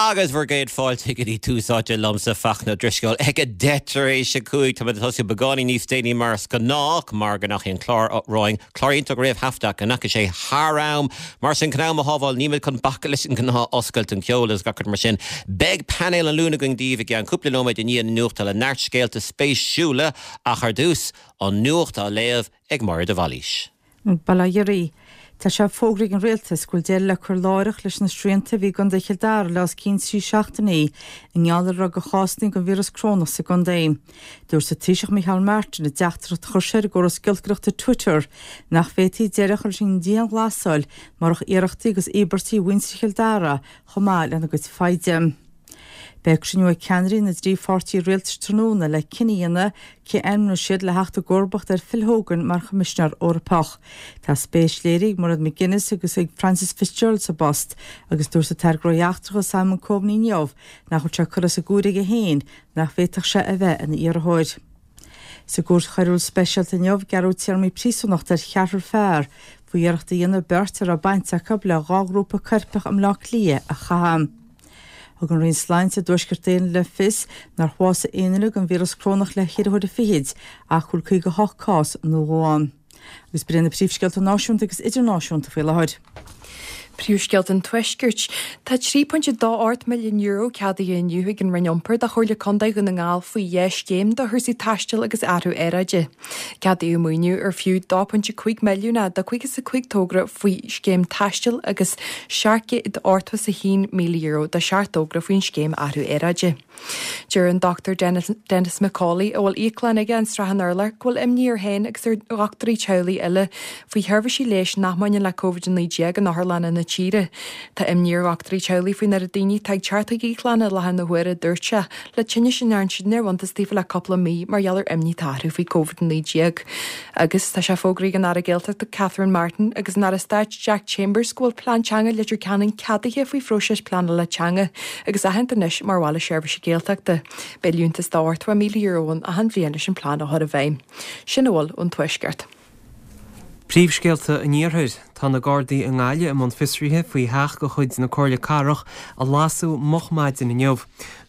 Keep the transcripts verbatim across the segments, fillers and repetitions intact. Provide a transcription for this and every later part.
Agus bhur gcéad fáilte go dtí Tús Áite liomsa Fachtna Ó Drisceoil ag a deich tar éis a cúig tá tosú beagáinín níos déanaí mar is gnách mar go ndeachaigh an clár romhainn clár iontach réamhthaifeadta go ndeachaigh sé thar am mar sin chun am a shábháil níl muid chun bacadh leis an ngnáth-oscailt an ceol agus gach mar sin. Beidh painéal an Luain againn daoibh i gceann cúpla nóiméad i ndiaidh na nuachta le neart scéalta spéisiúla ach ar dtús an nuacht á léamh ag Máire de Bhailís. Bail ó Dhia oraibh. Tá sé fógraithe ag an rialtas go bhfuil deireadh le cur láithreach leis na srianta a bhí i gContae Chill Dara le os cionn trí seachtainí i ngeall ar raibh de chásanna den víreas corónach sa gcontae. Dúirt an Taoiseach Micheál Martin i dteachtaireacht a chuir sé ar an gcóras giolcaireachta Twitter nach bhféadfaí deireadh a chur leis an dianghlasáil murach iarrachtaí agus íobairtí mhuintir Chill Dara chomh maith lena gcuid foighde. Beidh cruinniú ag ceannairí na dtrí pháirtí rialtais tráthnóna le cinneadh a dhéanamh cé a ainmneoidh siad le theacht i gcomharbacht ar Phil Hogan mar Choimisinéir Eorpach. Tá spéis léirithe ag Mairead McGuinness agus ag Frances Fitzgerald sa bpost agus dúirt an tAire Gnóthaí Eachtracha Simon Coveney inniu nach bhfuil sé curtha as an gcomhaireamh aige féin nach bhféadfadh sé a bheith ina iarrthóir. Sa gcúirt choiriúil speisialta inniu gearradh téarmaí príosúnachta ar cheathrar fear faoi iarracht a dhéanamh beirt a raibh baint acu le dhá ghrúpa coirpeach i mBleá Cliath a chaitheamh. Thug an Roinn Sláinte i dTuaisceart Éireann le fios nár bhásaigh aon duine den víreas corónach le ceithre huaire fichid ach go bhfuil caoga hocht cás nua ann. Agus b'in na príomhscéalta náisiúnta agus idirnáisiúnta faoi láthair. Príomhscéalta an Tuaiscirt. Tá trí pointe dó ocht milliún euro ceadaithe inniu ag an Roinn Iompair do Chomhairle Contae Dhún na nGall faoi dhá scéim do chúrsaí taistil agus athrú aeráide. Ceadaíodh maoiniú ar fiú dó pointe cúig milliún é do caoga is a cúig togra faoi scéim taistil agus seacht gcéad ochtó is a haon míle euro do seacht dtogra faoin scéim athrú aeráide. Deir an Dr Dennis, Dennis McCauley a bhfuil íoclann aige in Srath an Urláir go bhfuil imní air féin agus ar dhochtúirí teaghlaigh eile faoi sheirbhísí leighis nach mbaineann le Covid a naoi déag in otharlanna na tíre. Tá imní ar dhochtúirí teaghlaigh faoin oiread daoine atá ag teacht chuig íoclanna i láthair na huaire, dúirt sé, le tinnis a ndearna siad ar bhuntas taobh le cúpla mí mar gheall ar imní atá orthu faoi Covid a naoi déag. Agus tá sé fógraithe ag an Aire Gaeltachta Catherine Martin agus an Aire Stáit Jack Chambers go bhfuil plean teanga Leitir Ceanainn ceadaithe faoi phróiseas pleanála teanga agus aitheanta anois mar bhaile seirbhíse Gaeltachta. Beidh liúntas de ochtó míle euro ann achan bhliain leis an plean a chur i bhfeidhm. Sin a bhfuil ón Tuaisceart. Príomhscéalta an Iarthair, Tá na Gardaí i nGaillimh i mbun fiosraithe faoi theach de chuid na Comhairle Cathrach a lasadh moch maidin inniu.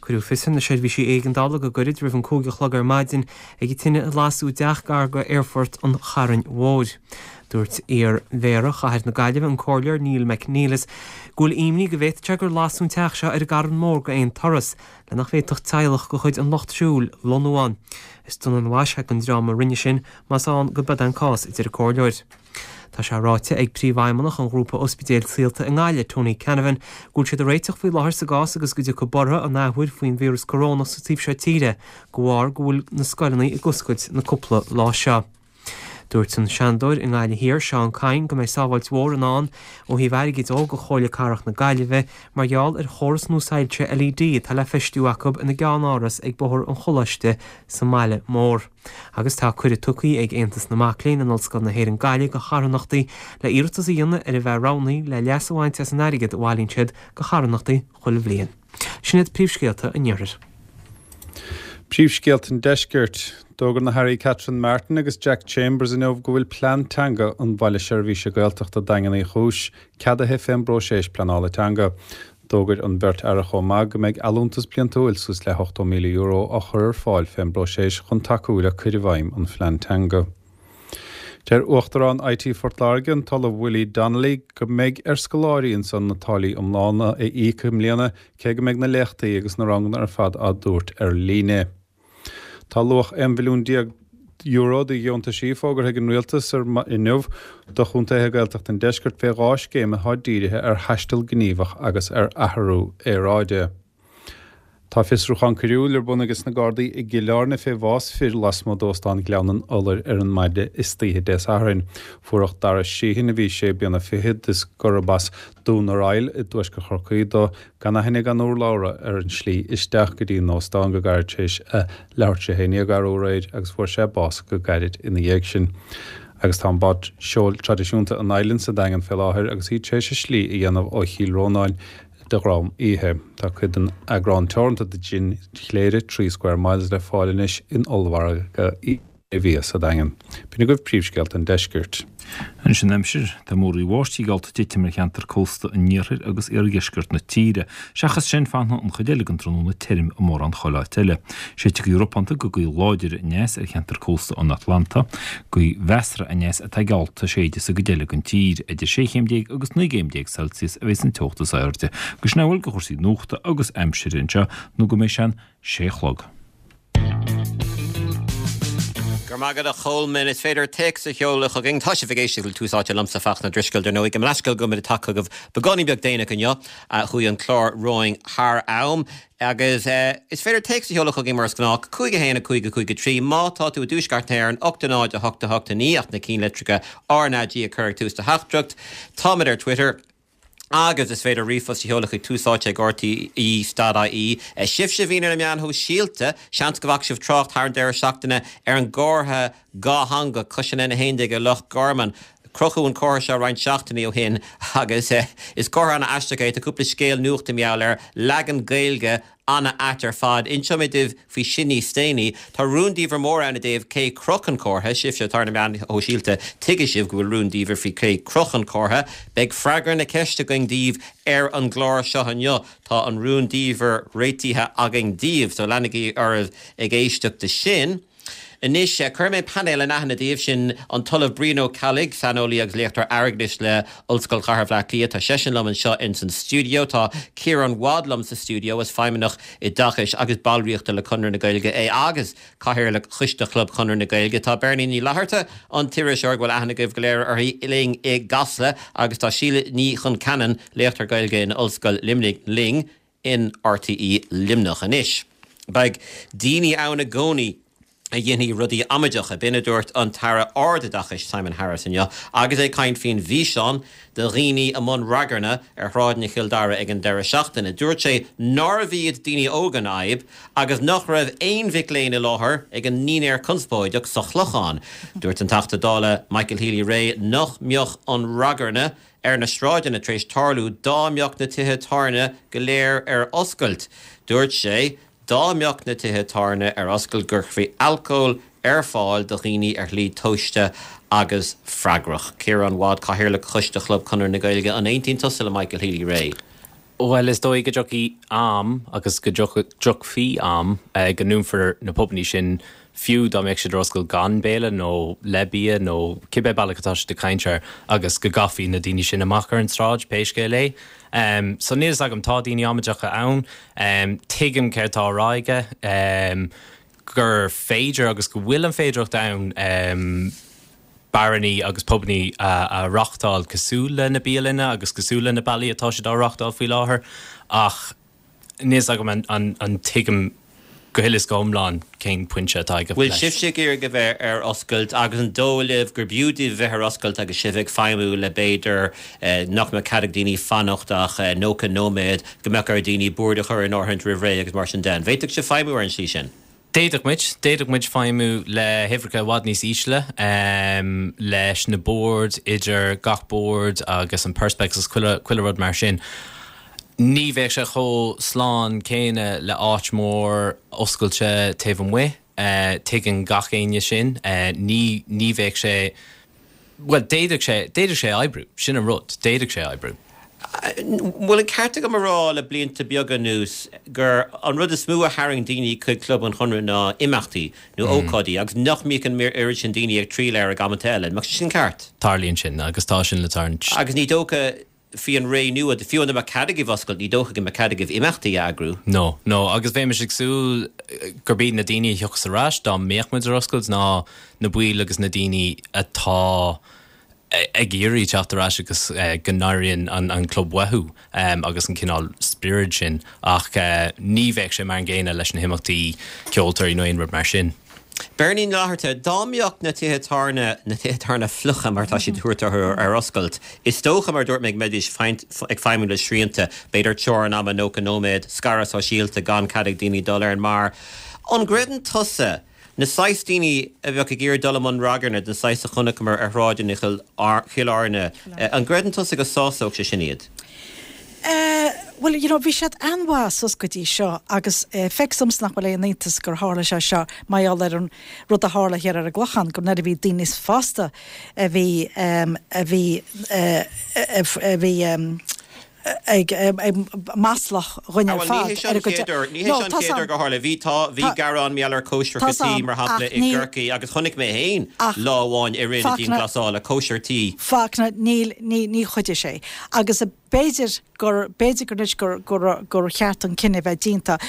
Cuireadh fios ar na seirbhísí éigeandála go gairid roimh an cúig a chlog ar maidin ag an tine a lasadh i dteach gar go aerfort an Chairn Mhóir. Dúirt iar-mhéara chathair na Gaillimhe, an Comhairleoir Neil McNeilus, go bhfuil imní go bhféadfadh sé gur lasadh an teach seo ar an gCarn Mór d'aon turas, le nach bhféadfadh teaghlach de chuid an lucht siúil lonnú ann. Is dona an mhaise don dream a rinne sin, más ann go b'ead an cás, a deir an Comhairleoir. Tá sé ráite ag Príomhfheidhmeannach an ghrúpa ospidéil Saolta i nGaillimh, Tony Canavan, go bhfuil siad ag réiteach faoi láthair sa gcás agus go dtiocfaidh borradh an athuair faoin víreas corónach sa taobh seo tíre, de bharr go bhfuil na scoileanna ag oscailt na cúpla lá seo. Dúirt an Seanadóir i nGaillimh Thiar, Seán Kyne, go mbeidh sábháilt mhór i ndán ó thaobh airgid de do Chomhairle Cathrach na Gaillimhe mar gheall ar chóras nua soilse LED atá le feistiú acu ina gceannáras ag Bóthar an Choláiste sa mbaile mór. Agus tá cuireadh tugtha ag Aontas na Mac Léinn in Ollscoil na hÉireann Gaillimh do charthanachtaí le iarratas a dhéanamh ar a bheith roghnaithe le leas a bhaint as an airgead a bhailíonn siad do charthanachtaí chuile bhliain. Sin iad príomhscéalta an Iarthair. Príomhscéalta an Deiscirt. D'fhógair na hAirí Catherine Martin agus Jack Chambers inniu go bhfuil plean teanga an Bhaile Seirbhíse Gaeltachta Daingean Uí Chúis ceadaithe fén bpróiseas pleanála teanga. D'fhógair an bheirt aire chomh maith go mbeidh allúntas bliantúil suas le hochtó míle euro á chur ar fáil fén bpróiseas chun tacú le cur i bhfeidhm an phlean teanga. Deir Uachtarán IT Phort Láirge, an tOllamh Willie Donnelly, go mbeidh ar scoláirí ansan na táillí iomlána a íoc i mbliana cé go mbeidh na léachtaí agus na ranganna ar fad á dtabhairt ar líne. Tá luach aon mhilliún déag euro de dheontaisí fógartha ag an Rialtas ar inniu do chontaetha Gaeltachta an Deiscirt fé dhá scéim atá dírithe ar thaisteal gníomhach agus ar athrú aeráide. Tá fiosrúchán coiriúil ar bun ages na Gardaí i gCill Airne fé bhás fir lasmuigh d'Óstán Ghleann an Iolair ar an maide istoíche Dé Sathairn. Fuaireadh Dara Sheehan, a bhí sé bliana fichead is gurb as Dún ar Aill i dtuaisceart Chorcaí dó, gan aithne gan urlabhra ar an slí isteach go dtí an óstán go gairid tar éis a leathuair tar éis a haon déag arú aréir agus fuair sé bás go gairid ina dhiaidh sin. Agus tá an bád seoil traidisiúnta an Island sa Daingean fé láthair agus í tar éis a slí a dhéanamh ó Chill Rónáin de dhroim oíche. Tá cuid den eagrán teoranta de Jin Chléire, Three Square Miles, le fáil anois in ollmhargadh mhí sa Daingean. B'in agaibh príomhscéalta an deiscirt. Anois an aimsir, tá múraí bháistí geallta titim ar cheantar cósta an iarthair agus iardheisceart na tíre. Seachas sin fanfaidh an chuid eile den tráthnóna tirim i mórán chuile áit eile. Séidfidh gaoth ropánta go gaoth láidir aneas ar cheantar cósta an Atlanta. Gaoth mheasartha aneas atá geallta séideadh sa gcuid eile den tír. Idir sé chéim déag agus naoi gcéim déag Celsius a bheas an teocht is airde. Agus sin a bhfuil de chúrsaí nuachta agus aimsire anseo nó go mbeidh sé an sé a chlog. Go raibh maith agat a Cholmáin, is féidir téacs a sheoladh chugainn. Tá sibh ag éisteacht le Tús Áite liomsa Fachtna Ó Drisceoil dar ndóigh. Gabh mo leithscéal go bhfuil muid ag teacht chugaibh beagáinín beag déanach inniu. Chuaigh an clár romhainn thar am. Agus is féidir téacs a sheoladh chugainn mar is gnách, cúig a haon a cúig a cúig a trí. Má tá tú i dtuaisceart na hÉireann, ocht a náid a hocht a hocht a naoi ach na cinnlitreacha R na G a chur ag tús do theachtaireacht. Táimid ar Twitter. Agus is féidir ríomhphost a sheoladh chuig Tús Áite ag R T E dot I E. Sibhse a bhíonn ar na meáin shóisialta, seans go bhfaca sibh trácht thar an deireadh seachtaine ar an gcomhartha dhátheangach cois an N a haon déag i Loch Garman. Crochadh an comhartha seo roinnt seachtainí ó shin agus is comhartha an-aisteach é. Tá cúpla scéal nuachta mar gheall air, leagan Gaeilge an-ait ar fad. Inseoidh mé daoibh faoi sin níos déanaí. Tá rúndiamhair mór ann i dtaobh cé chroch an comhartha, sibhse atá ar na meáin shóisialta, tuigfidh sibh go bhfuil rúndiamhair faoi cé chroch an comhartha. Beidh freagra na ceiste againn daoibh ar an gclár seo inniu. Tá an rúndiamhair réitithe againn daoibh, so leanaigí oraibh ag éisteacht de sin. Anois, cuirfidh mé painéal in aithne daoibh, sin an tOllamh Brian Ó Ceallaigh, saineolaí agus léachtóir airgeadais le Ollscoil Chathair Bhaile Átha Cliath. Tá seisean liom anseo ins an stiúideo. Tá Ciarán Wadd liom sa stiúideo, is feidhmeannach oideachais agus ballraíochta le Conradh na Gaeilge é agus Cathaoirleach Choiste Chlub Chonradh na Gaeilge. Tá Beirní Ní Fhlatharta, an t-iriseoir go bhfuil aithne agaibh go léir uirthi, linn i gCasla agus tá Síle Ní Chonceanainn, léachtóir Gaeilge in Ollscoil Luimnigh, linn in R T E Luimneach. Anois, beidh daoine ann i gcónaí a dhéanfaidh rudaí amaideacha, b'in a dúirt an tAire Ardoideachais Simon Harris inniu agus é ag caint faoin bhfíseán de dhaoine i mbun ragairne ar shráideanna Chill Dara ag an deireadh seachtaine. Dúirt sé nárbh iad daoine óga an fhadhb agus nach raibh aon mhic léinn i láthair ag an ndinnéar conspóideach sa Chlochán. Dúirt an Teachta Dála Michael Healy-Rae nach mbeadh an ragairne ar na sráideanna tar éis tarlú dá mbeadh na tithe tábhairne go léir ar oscailt. Dúirt sé dá mbeadh na tithe tábhairne ar oscailt go gcuirfí alcól ar fáil do dhaoine ar shlí tomhaiste agus freagrach. Ciarán Wadd, Cathaoirleach Choiste Chlub Chonradh na Gaeilge, an aontaíonn tusa le Michael Healy-Rae? Well, is dóigh go dtiocfaidh am agus go dtiocfaidh am go ndúnfar na pubannaí sin fiú dá mbeadh siad ar oscailt gan béile nó le bia nó cibé bealach atá siad ag caint air agus go gcaithfí na daoine sin amach ar an tsráid pé scéal é. Um, so níl agam tá daoine amaideacha ann, um, tuigim céard atá á rá aige um, gur féidir agus go bhfuil an féidireacht ann um, bearannaí agus pubannaí a, a reáchtáil cosúil le na bialanna agus cosúil le na bealaí atá siad á reáchtáil faoi láthair ach níl agam an, an, an tuigim go huile is go hiomlán cén pointe atá aige Bhfuil sibhse ag iarraidh a bheith ar oscailt agus an dóigh libh gur b'fhiú daoibh bheith ar oscailt agus sibh ag feidhmiú le b'fhéidir eh, nach mbeadh cead ag daoine fanacht ach eh, nócha nóiméad go mbeadh ar daoine bord a chur in áirithe roimh ré agus mar sin de. Bhféadfadh sibh feidhmiú ar an slí sin? D'fhéadfadh muid, d'fhéadfadh muid feidhmiú le huimhreacha i bhfad níos ísle um, leis na boird idir gach bord agus an perspex agus chuile chuile rud mar sin. Ní bheadh sé chomh slán céanna le áit mór oscailte taobh amuigh, uh, tuigeann gach éinne sin, uh, ní, ní bheadh sé well d'fhéadfadh sé d'fhéadfadh sé oibriú, sin an rud, d'fhéadfadh sé oibriú. Bhfuil an ceart agam a rá le blianta beaga anuas gur an rud is mó a tharraing daoine chuig Club an Chonradh ná imeachtaí nó mm. ócáidí agus nach mbíodh an oiread sin daoine ag triall air ag amanta eile, Ach sin ceart. Tarlaíonn sin agus tá sin le tarlúint. Agus ní dócha faoi an ré nua fiú dá mbeadh cead agaibh oscailt ní dócha go mbeadh cead agaibh imeachtaí a eagrú. No, no, agus bheimis ag súil gurb iad na daoine a thiocfas ar ais dá mbeadh muid ar oscailt ná na baill agus na daoine atá ag iarraidh teacht ar ais agus uh, go n-airíonn an, an club uathu um, agus an cineál spiorad sin ach uh, ní bheadh sé mar an gcéanna leis na himeachtaí ceoltóirí nó aon rud mar sin. Beirní Ní Fhlatharta dá mbeadh na tithe tábhairne na tithe tábhairne fliucha mar tá siad thuart ar oscailt. Is dócha mar dúirt mé go mbeidís ag feidhmiú le srianta, b'fhéidir teorainn ama nócha nóiméad scaradh sóisialta gan cead ag daoine dul ar an mbeár. An gcreideann tusa na saghas daoine a bheadh ag iarraidh dul i mbun ragairne den saghas a chonaiceamar ar shráideanna Chill Airne, an gcreideann tusa go sásódh sé sin iad? Uh, Bhuel, you know, bhí siad an-mhaith suas go dtí seo agus feictear domsa nach bhfuil aon iontas gur tharla sé seo mar gheall ar an rud a tharla thiar ar an gClochán, gur nuair a bhí daoine níos fásta a bhí a bhí a bhí ag maslach dhuine ar fad. Ní hé seo an chéad uair gur tharla. Bhí tá bhí gearán mar gheall ar cóisir tí mar shampla i gCorcaigh agus chonaic mé féin lá amháin i rith na dianghlasála cóisir tí. Fachtna, níl ní ní chuidigh sé. Agus b'fhéidir gur b'fhéidir gur anois gur gur gur cheart an cinneadh bheith déanta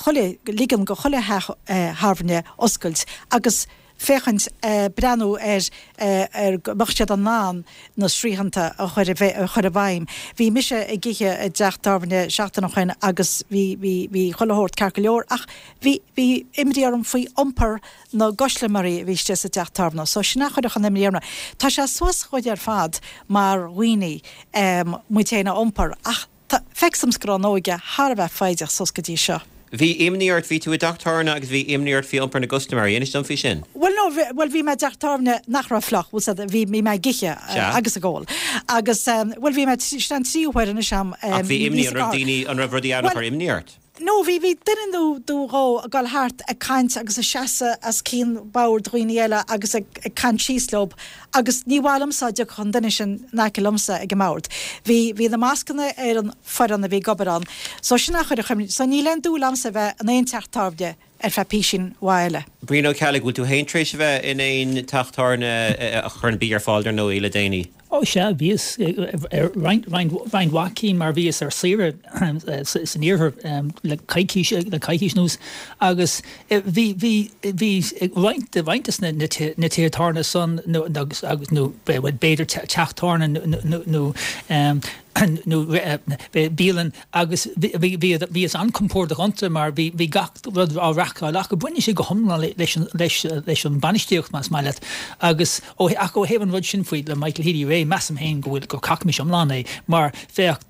chuile ligean go chuile theach tábhairne oscailt agus féachaint breathnú ar ar go mbeadh siad in ann na srianta a chur a chur i bhfeidhm. Bhí mise ag ithe i dteach tábhairne seachtain ó shin agus bhí bhí bhí chuile shórt ceart go leor ach bhí bhí imní orm faoi iompar na gcustaiméirí a bhí istigh sa dteach tábhairne. So sin a chuirfeadh an imní orm. Tá sé suas chugainn ar fad mar dhaoine muid féin a iompar ach feictear domsa go raibh an óige thar a bheith foighdeach suas go dtí seo. Bhí imní ort, bhí tú i dteach tábhairne agus bhí imní ort faoi iompar na gcustaiméirí, inis dom faoi sin. Bhuel no, bhuel bhí mé i dteach tábhairne nach raibh fliuch, bhfuil 's bhí bhí mé ag ithe agus ag ól. Agus bhuel bhí mé, sin an tríú huair anois a'm. Ach bhí imní, an raibh daoine, an raibh rudaí ann a chuir imní ort? No, bhí, bhí duine nó nó dhó ag dul thart ag caint agus ag seasamh os cionn bord dhaoine eile agus ag, ag caint síos leob agus ní mhaith liomsa dá dtiocfadh an duine sin in aice liomsa ag an mbord. Bhí, bhí na mascanna ar an foireann a bhí ag obair ann. So sin a chuir imní, so níl aon dúil a'msa a bheith in aon teach tábhairne ar feadh písín mhaith eile. Brian Ó Ceallaigh, bhfuil tú féin tar éis a bheith in aon teach tábhairne a chuireann bia ar fáil dar ndóigh le déanaí? Ó sea, bhíos ar roinnt roinnt mhaith cinn mar bhíos ar saoire san iarthar le coicís le coicís anuas agus bhí bhí bhí roinnt de roinnt de na na tithe tábhairne san nó agus agus nó b'fhéidir teach tábhairne nó nó nó bialann agus bhíos an-compordach iontu mar bhí bhí gach rud á reáchtáil acu. Baineann sé go hiomlán leis an leis leis an bainistíocht más maith leat agus ó ach ó thaobh an rud sin faoi le Michael Healy-Rae measaim féin go bhfuil gur cacamas iomlán é mar féach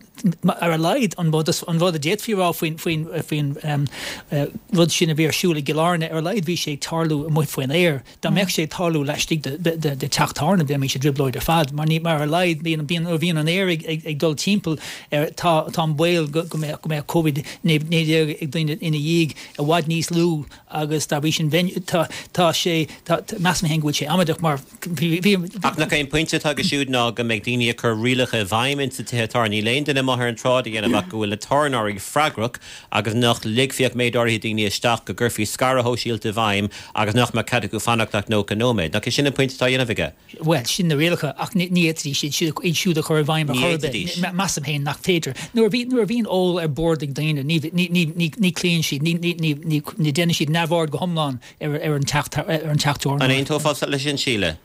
ar a laghad an rud an rud a d'fhéadfaí rá faoin faoin faoin um, uh, rud sin a bhí ar siúl i gCill Airne ar a laghad bhí sé ag tarlú amuigh faoin aer. Dá mbeadh sé ag tarlú laistigh de, de, de, de teach tábhairne bheimis i dtrioblóid ar fad, mar ní mar ar a laghad bíonn bíonn bhíonn an aer ag, ag, ag dul timpeall ar tá tá an baol go, go mbeadh go mbeadh Covid naoi déag ag daoine ina dhiaidh i bhfad níos lú agus dá bhrí sin tá tá sé tá measaim féin go bhfuil sé amaideach mar bhí bhí Ach nach é an pointe atá aige siúd ná go mbeidh daoine ag cur rialacha i bhfeidhm insa tithe tábhairne. Níl aon duine amuigh ar an tsráid a dhéanamh ach go bhfuil na tábhairneoirí freagrach agus nach ligfí ach méid áirithe daoine isteach go gcuirfí scaradh shóisialta i bhfeidhm agus nach mbeadh cead acu fanacht ach nócha nóiméad. Nach é sin an pointe atá á dhéanamh aige? Bhuel, sin na rialacha ach ní fhéadfaidís iad iad siúd a chur i bhfeidhm ar Ní chor ar bith. fhéadfaidís. Measaim féin nach féidir. Nuair a bhí nuair a bhíonn ól ar bord ag daoine ní ní ní ní ní cloíonn siad ní ní ní ní ní déanann siad neamhaird go hiomlán ar ar an teach ar an teach An aontófá leis sin Síle?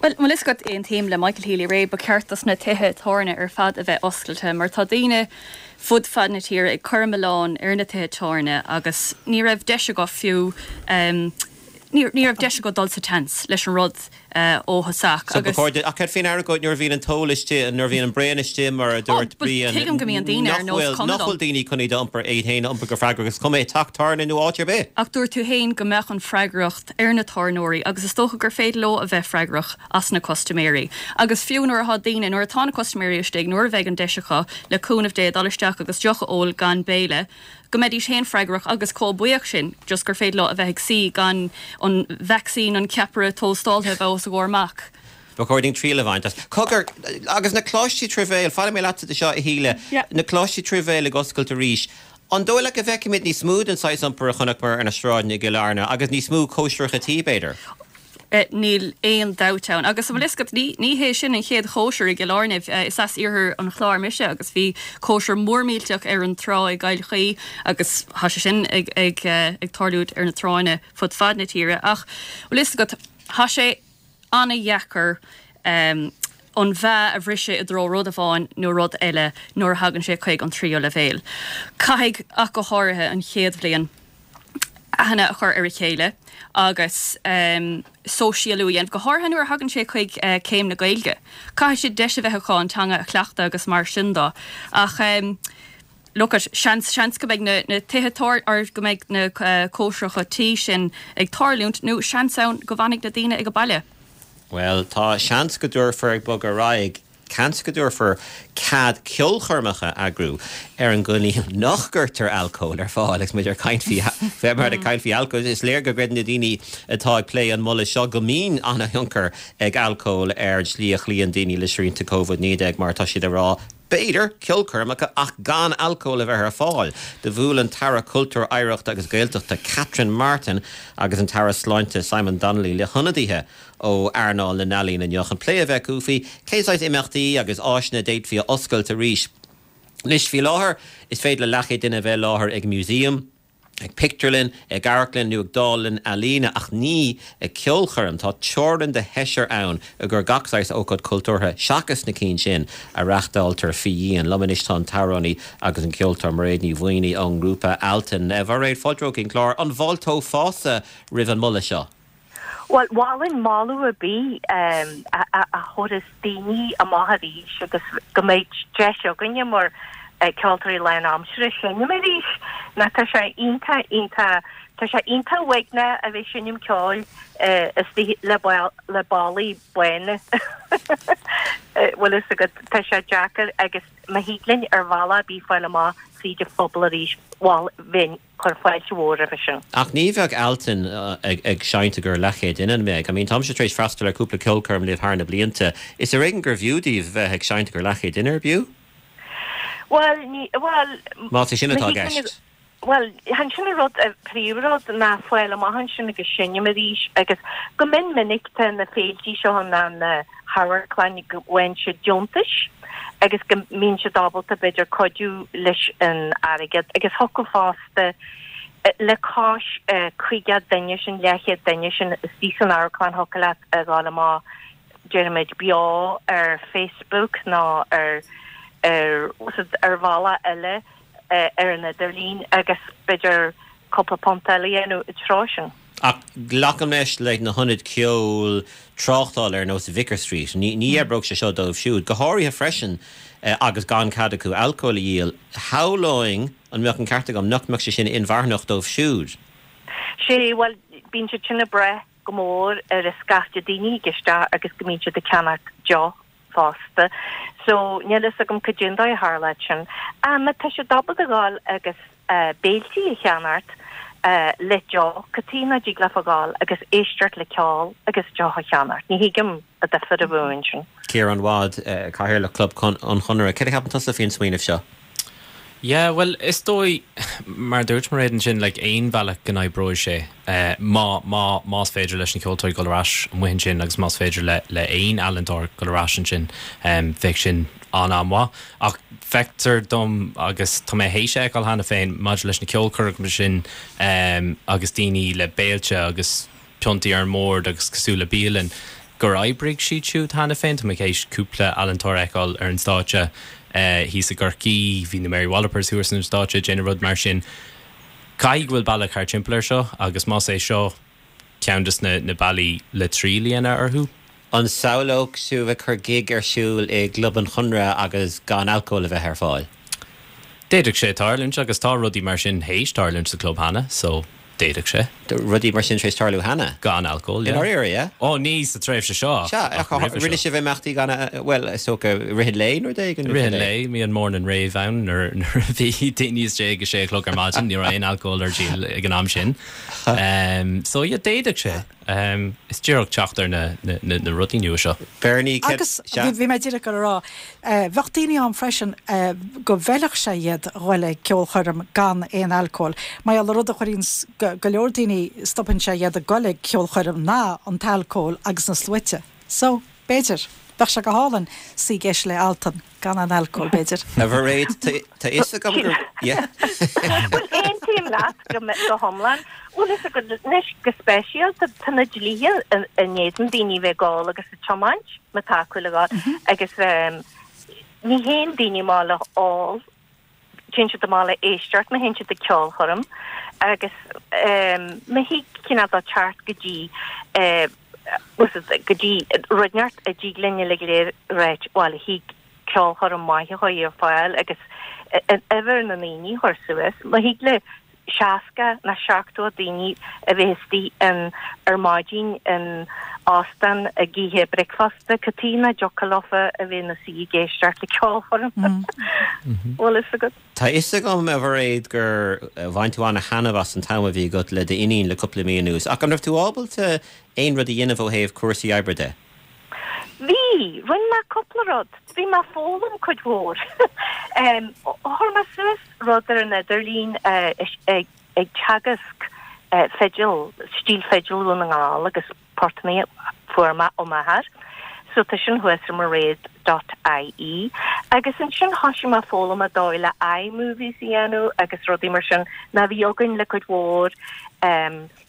Well, bhfuil a fhios agat aontaím le Michael Healy-Rae ba cheart dos na tithe tábhairne ar fad a bheith oscailte mar tá daoine fud fad na tíre ag cur milleán ar na tithe tábhairne agus ní raibh deis acu fiú um, ní ní raibh deis acu dul sa tseans leis an rud uh, ó thosach So agus ach cad faoin argóint nuair a bhíonn an t-ól istigh nuair a bhíonn an braon istigh mar a dúirt Brian tuigim go mbíonn daoine ar nach nós bhfuil cuma nach bhfuil dom. daoine chun iad a iompar iad féin a iompar go freagrach is cuma teach tábhairne nó áit ar bith. Ach dúirt tú féin go mbeadh an freagracht ar na tábhairneoirí agus is dócha gur féidir leo a bheith freagrach as na custaiméirí. Agus fiú nuair atá daoine nuair atá na custaiméirí istigh nuair a bheidh an deis acu le cúnamh Dé dul isteach agus deoch a ól gan béile, go mbeidís féin freagrach agus chomh buíoch sin just gur féidir leo a bheith ag suí gan an vaccine an ceapaire tóstáilte a bheith os a gcomhair amach. Ba chóir dúinn triail a bhaint as. Cogar agus na coláistí trí bhéal, fanfaidh mé leatsa anseo a Shíle, na coláistí trí bhéal ag oscailt arís. An dóigh leat go bhfeicfimid níos mó den saghas iompair a chonaiceamar ar na sráideanna i gCill Airne agus níos mó cóisireacha tí b'fhéidir. Eh, níl aon dabht ann. Agus bhfuil a fhios agat ní ní hé sin an chéad chóisir i gCill Airne eh, is as iarthar an Chláir mise agus bhí cóisir mór millteach ar an trá i gCill Chaoi agus tá sé sin ag ag eh, ag tarlú ar na tránna fud fad na tíre ach bhfuil a fhios agat tá sé an-deacair um, an mheá a bhriseadh i dtreo rud amháin nó rud eile nuair a thagann sé chuig an tríú leibhéal. Caithfidh ach go háirithe an chéad bhliain aithne a chur ar a chéile agus um, sóisialú a dhéanamh go háirithe nuair a thagann sé chuig uh, céim na Gaeilge. Caithfidh siad deis a bheith acu an teanga a chleachtadh agus mar sin de ach um, Look at seans seans go mbeidh na, na tithe tar ar go mbeidh na uh, cóisireacha tí sin ag tarlúint nó seans ann go bhfanfaidh na daoine ag an baile. Well tá seans go dtabharfar ag bogadh ar aghaidh Seans go dtabharfar cead ceolchoirmeacha a eagrú ar an gcoinníoll nach gcuirtear alcól ar fáil agus muid ar caint faoi bheith mar ag caint faoi alcól. Is léir go gcreideann na daoine atá ag plé an moladh seo go mbíonn an-thionchar ag alcól ar an slí a chloíonn daoine le srianta Covid naoi déag mar tá siad ag rá b'fhéidir ceolchoirmeacha ach gan alcól a bheith ar fáil. Do bhuail an tAire Cultúir, Oidhreachta agus Gaeltachta Catherine Martin agus an tAire Sláinte Simon Donnelly le hionadaithe ó earnáil na n-ealaíon inniu chun plé a bheith acu faoi cén saghas imeachtaí agus áiseanna a d'fhéadfaí a oscailt arís. Anois faoi láthair is féidir le leathchéad duine a bheith i láthair ag museum, ag pictiúrlann, ag amharclann nó ag dánlann ealaíne ach ní ag ceolchoirm. Tá teorainn de sheisear ann i gcomhair gach saghas ócáid cultúrtha seachas na cinn sin a reáchtáiltear faoi dhíon. Liom anois tá an t-amhránaí agus an ceoltóir Mairéad Ní Mhaonaigh ón ngrúpa Altan. A Mhairéad, fáilte romhat chuig an gclár. An bhfáilteofása roimh an moladh seo? Bhuel, mholfainn moladh ar bith a thabharfas daoine amach arís agus go mbeidh deis againne mar ceoltóirí lánaimseartha seinm arís. Nó tá sé iontach, iontach, tá sé iontach uaigneach a bheith ag seinm ceoil istigh le le ballaí bána. Bhfuil fhios agat, tá sé deacair agus má thig linn ar bhealach ar bith fáil amach fríd an phobal arís, bhuel, bheinn. Chuirfinn fáilte mhór roimhe sin. Ach ní bheadh Altan ag seinnt i gcomhair leathchéad duine, an mbeadh? I mean, táimse tar éis freastal ar cúpla ceolchoirm libh thar na blianta. Is ar éigean gurbh fhiú daoibh bheith ag seinnt i gcomhair leathchéad duine, ar b'fhiú? Bhuel, ní, bhuel, Más é sin atá i gceist. Bhuel, chan sin an rud, an príomhrud ná fáil amach ansin agus seinm arís agus go mion minic tá na féiltí seo ná na hamharclanna go bhfaigheann siad deontais agus go mbíonn siad ábalta b'fhéidir cuidiú leis an airgead agus thiocfadh fosta le cois caoga duine sin, leathchéad duine sin istigh san amharclann thiocfadh leat a dhul amach déarfaimid beo ar Facebook nó ar ar ar bhealach eile ar an idirlíon agus b'fhéidir cúpla punt eile a dhéanamh i dtreo sin. Ach glacaim leis le na hionaid ceoil tráchtála ar nós Vicar Street, ní ní oibreodh sé seo dóibh siúd, go háirithe freisin agus gan cead acu alcól a dhíol. Shamhlóinn, an mbeadh an ceart agam, nach mbeadh sé sin inmharthanach dóibh siúd? Sé, bhuel, bíonn siad sin ag brath go mór ar an scaifte daoine a thig isteach agus go mbíonn siad ag ceannacht deoch fosta. So, níl fhios agam cad é an dóigh a tharlódh sin. Ach má tá siad ábalta a ghabháil agus béiltí a cheannacht le deoch, cad chuige nach dtig leofa ghabháil agus éisteacht le ceol agus deoch a cheannacht? Ní thuigim an difear a bheadh ansin. Ciarán Wadd, Cathaoirleach Club an Chonartha, céard a cheapann tusa faoin smaoineamh seo? Yeah, bhuel, is dóigh, mar a dúirt Mairéad ansin, like, aon bhealach go n-oibreoidh sé, má, má, más féidir leis na ceoltóirí dul ar ais amuigh ansin agus más féidir le, le aon ealaíontóir dul ar ais ansin, bheadh sin an-an-mhaith. Ach feictear dom, agus tá mé théis a fheiceáil cheana féin, maidir leis na ceolchoirmeacha sin agus daoine le béilte agus piontaí ar an mbord agus cosúil le bialann, gur oibrigh siad siúd cheana féin. Tá mé théis cúpla ealaíontóir a fheiceáil ar an stáitse thíos i gCorcaigh, bhí na Mary Wallopers thuas ar an stáitse ag déanamh rud mar sin. Caithfidh go bhfuil bealach thar timpeall air seo agus más é seo ceann de na bealaí le triail a dhéanamh orthu. An samhlódh sibh ag cur gig ar siúl i gClub an Chonartha agus gan alcól a bheith ar fáil? D'fhéadfadh sé tarlúint agus tá rudaí mar sin théis tarlúint sa club cheana so d'fhéadfadh sé. Rudaí mar sin tar éis tarlú cheana? Gan alcól, yeah. I ndáiríre, yeah? Ó ní sa tréimhse seo ach Sea, ach roimhe rinne seo. sibh imeachtaí gan, bhuel, is dócha i rith an lae nó rud éigin? I rith an lae, bhí an morning rave ann nuair nuair a bhí daoine istigh ag a sé a chlog ar maidin, ní raibh aon alcól ar díol ag an am sin. So yeah, d'fhéadfadh sé. Is díreach teacht ar na na rudaí nua seo. Bernie, céard, Agus sea. bhí mé díreach ag rá, bheadh daoine ann freisin go bhfeilfeadh sé iad a dhul ag ceolchoirm gan aon alcól. Mar gheall ar rud a chuireann go leor daoine, stopann sé iad ag dul ag ceolchoirm ná an t-alcól agus na sluaite. So, b'fhéidir, bheadh sé go hálainn suí ag éisteacht le Altan gan an alcól, b'fhéidir. A Mhairéad, tá fhios agam gur, yeah. Bhuel, aontaím leat go go hiomlán. Bhfuil fhios agat anois go speisialta tá na dlíthe in éadan daoine a bheith ag ól agus ag tiomáint má tá acu le dhul agus ní théann daoine amach le ól, téann siad amach le éisteacht má théann siad ag ceolchoirm agus má thig cineál de teacht go dtí go dtí rud inteacht a dtig linn uilig go léir ráit bhuel thig ceolchoirm maith a chur ar fáil agus uimhir na ndaoine a chur suas má thig le seasca ná seachtó daoine a bheith istigh in ar maidin in óstán ag ithe bricfeasta, cad chuige nach dtiocfadh leofa a bheith ina suí ag éisteacht le ceolchoirm. Bhfuil fhios agat? Tá fhios agam, a Mhairéad, gur bhain tú ana-thaitneamh as an t-am a bhí agat le d'iníon le cúpla mí anuas, ach an raibh tú ábalta aon rud a dhéanamh ó thaobh cúrsaí oibre de? Bhí, rinne mé cúpla rud. Bhí mé ag foghlaim cuid mhór. Chuir mé suas rud ar an idirlíon ag teagasc fidil, stíl fidil Dhún na nGall agus portanna a fuair mé ó m'athair. So tá sin thuas ar mairead dot ie. Agus ansin thosaigh mé ag foghlaim an dóigh le iMovies a dhéanamh agus rudaí mar sin ná bhí againn le cuid mhór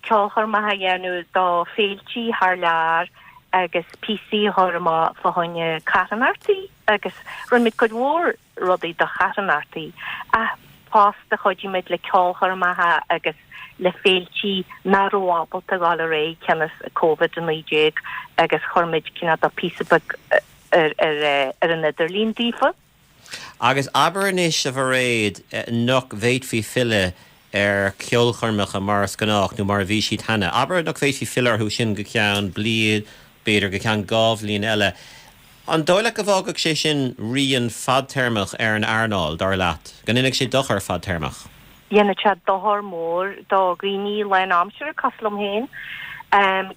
ceolchoirmeacha a dhéanamh do féiltí thar lear agus píosaí a chur amach fá choinne carthanachtaí agus rinne muid cuid mhór rudaí do charthanachtaí ach fosta chuidigh muid le ceolchoirmeacha agus le féiltí nach raibh ábalta dhul ar aghaidh cionn is Covid a naoi déag agus chuir muid cineál de píosa beag ar ar ar an idirlíon daofa. Agus abair anois, a Mhairéad, nach bhféadfaí filleadh ar cheolchoirmeacha mar is gnách nó mar a bhí siad cheana. Abair nach bhféadfaí filleadh orthu sin go ceann bliain, b'fhéidir go ceann dhá bhliain eile. An dóigh leat go bhfágfadh sé sin rian fadtéarmach ar an earnáil, dar leat? Go ndéanfadh sé dochar fadtéarmach? Dhéanfadh sé dochar mór do dhaoine lánaimseartha cosúil liom féin.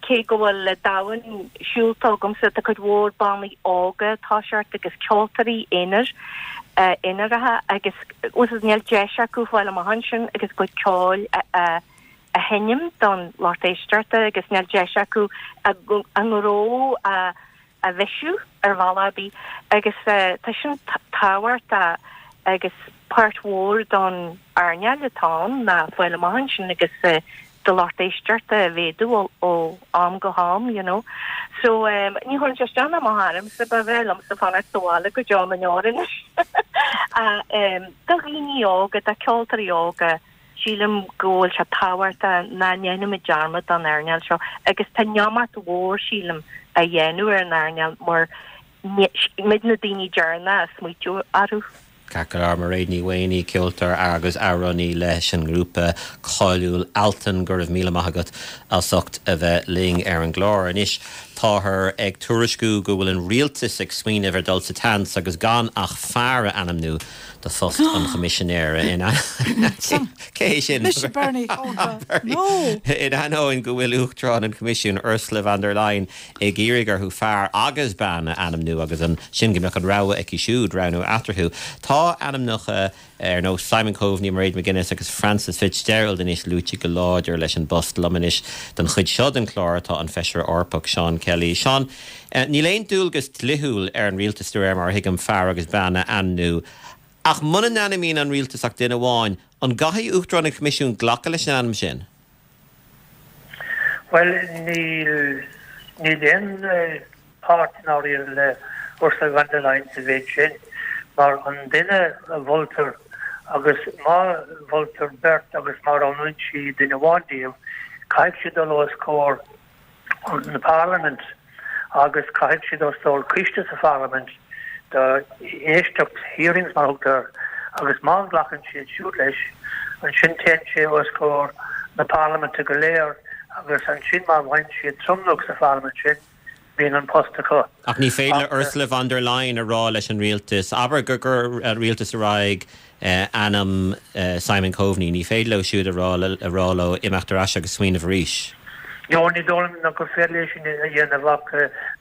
Cé go bhfuil domhan siúlta agamsa, tá cuid mhór bannaí óga ag toiseacht agus ceoltóirí aonair, aonaracha agus níl deis acu fáil amach ansin agus a gcuid ceoil a a sheinm don lucht éisteachta agus níl deis acu a ngnó a a bhisiú ar bhealach ar bith agus tá sin tábhachtach agus páirt mhór don earnáil atá ann ná fáil amach ansin agus do lucht éisteachta a mhéadú ó am go ham, you know. So ní chuireann sé isteach ná amach ormsa, ba bhreá liomsa fanacht sa bhaile go deo na ndeor anois. Do dhaoine óga, do cheoltóirí óga, sílim go bhfuil sé tábhachtach nach ndéanfaimid dearmad den earnáil seo agus tá an iomarca mhór, sílim, á dhéanamh ar an earnáil mar muid na daoine deireanacha a smaoitiú orthu. Ceart go leor, Mairéad Ní Mhaonaigh, ceoltóir agus amhránaí leis an ngrúpa cáiliúil Altan, go raibh míle maith agat as ucht a bheith linn ar an gclár. Anois, táthar ag tuairisciú go bhfuil an rialtas ag smaoineamh ar dul sa tseans agus gan ach fear a ainmniú do phost an Choimisinéara in Cé hé sin? Mise Bernie. Oh God. No! In ainneoin go bhfuil Uachtarán an Choimisiúin Ursula von der Leyen ag iarraidh orthu fear agus bean a ainmniú agus ansin go mbeadh an rogha aici siúd roghnú eatarthu. Tá ainmneacha ar nós Simon Coveney, Mairead McGuinness agus Frances Fitzgerald anois luaite go láidir leis an bpost. Liom anois don chuid seo den chlár tá an Feisire Eorpach Seán Kelly. Seán, níl aon dualgas dlíthiúil ar an rialtas de réir mar a thuigim fear agus bean a ainmniú. Ach muna n-ainmníonn an rialtas ach duine amháin, an gcaithfidh Uachtarán an Choimisiúin glacadh leis an ainm sin? Bhuel, níl, níl aon páirt i ndáiríre le Ursula von der Leyen sa mhéid sin, mar an duine a mholtar agus má mholtar beirt agus má roghnaíonn sí duine amháin díobh, caithfidh siad dul os comhair na Parlaimint agus caithfidh siad os comhair coiste sa Pharlaimint do éisteacht, hearings mar a thugtar air, agus má ghlacann siad siúd leis, ansin téann sé os comhair na Parlaiminte go léir agus ansin má bhfaigheann siad tromlach sa Pharlaimint sin, bíonn an post acu. Ach ní féidir le Ursula von der Leyen a rá leis an rialtas, abair gur chuir an rialtas ar aghaidh ainm Simon Coveney, ní féidir leo siúd a rá a rá leo imeacht ar ais agus smaoineamh arís. No, ní dóigh liom ná gur féidir léi sin a dhéanamh ach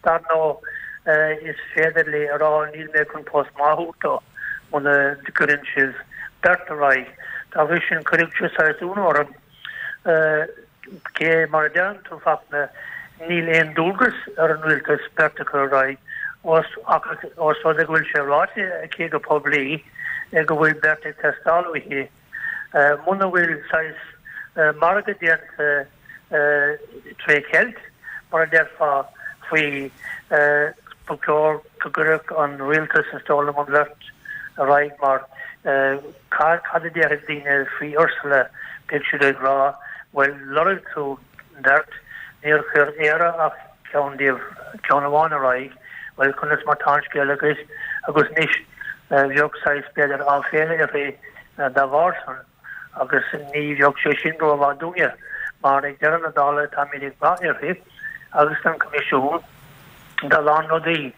dar ndóigh is féidir léi a rá níl mé chun post maith a thabhairt dó muna gcuireann sibh beirt ar aghaidh. Dá bhrí sin cuirfidh sé saghas ionadh orm cé mar a deireann tú Fachtna níl aon dualgas ar an rialtas beirt a chur ar aghaidh ós ós rud é go bhfuil sé ráite aici go poiblí go bhfuil beirt ag teastáil uaithi. Muna bhfuil saghas margadh déanta tré cheilt, mar a déarfá, faoi ba chóir go gcuirfeadh an rialtas is dóigh liom an bheirt ar aghaidh mar cad a déarfaidh daoine faoi Ursula, beidh siad ag rá bhuel lorg tú beirt, níor chuir Éire ach ceann díobh, ceann amháin ar aghaidh, bhuel conas mar tá an scéal agus agus anois bheadh saghas b'fhéidir áiféala uirthi dá bharr san. agus ní bheadh sé sin rómhaith dúinne mar ag deireadh na dála táimid ag brath uirthi agus an Coimisiún do a lán rudaí,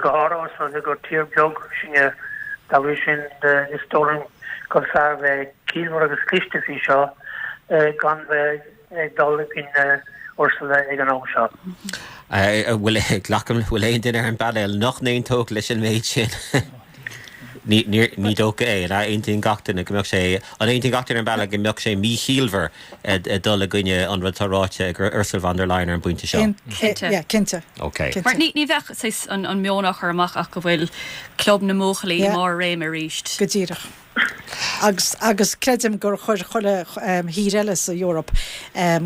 go háirithe os rud é gur tír beag sinne. Dá bhrí sin is dóigh liom gur fearr bheith ciallmhar agus cliste faoi seo gan bheith ag dul i gcoinne Ursula ag an am seo. Bhfuil, glacaim, bhfuil aon duine ar an bpainéal nach n-aontódh leis an méid sin? Ní, ní, ní dócha é. An aontaíonn gach duine go mbeadh sé, an aontaíonn gach duine ar an bpainéal go mbeadh sé míchiallmhar dul i gcoinne an rud atá ráite ag Ursula von der Leyen ar an bpointe seo? Cinnte. Yeah, cinnte. Ok. Mar ní, ní bheadh saghas an, an meon á chur amach ach go bhfuil club na mbuachaillí i mbarr a réime arís. Go díreach. Agus, agus creidim gur chuir chuile thír eile sa Eoraip,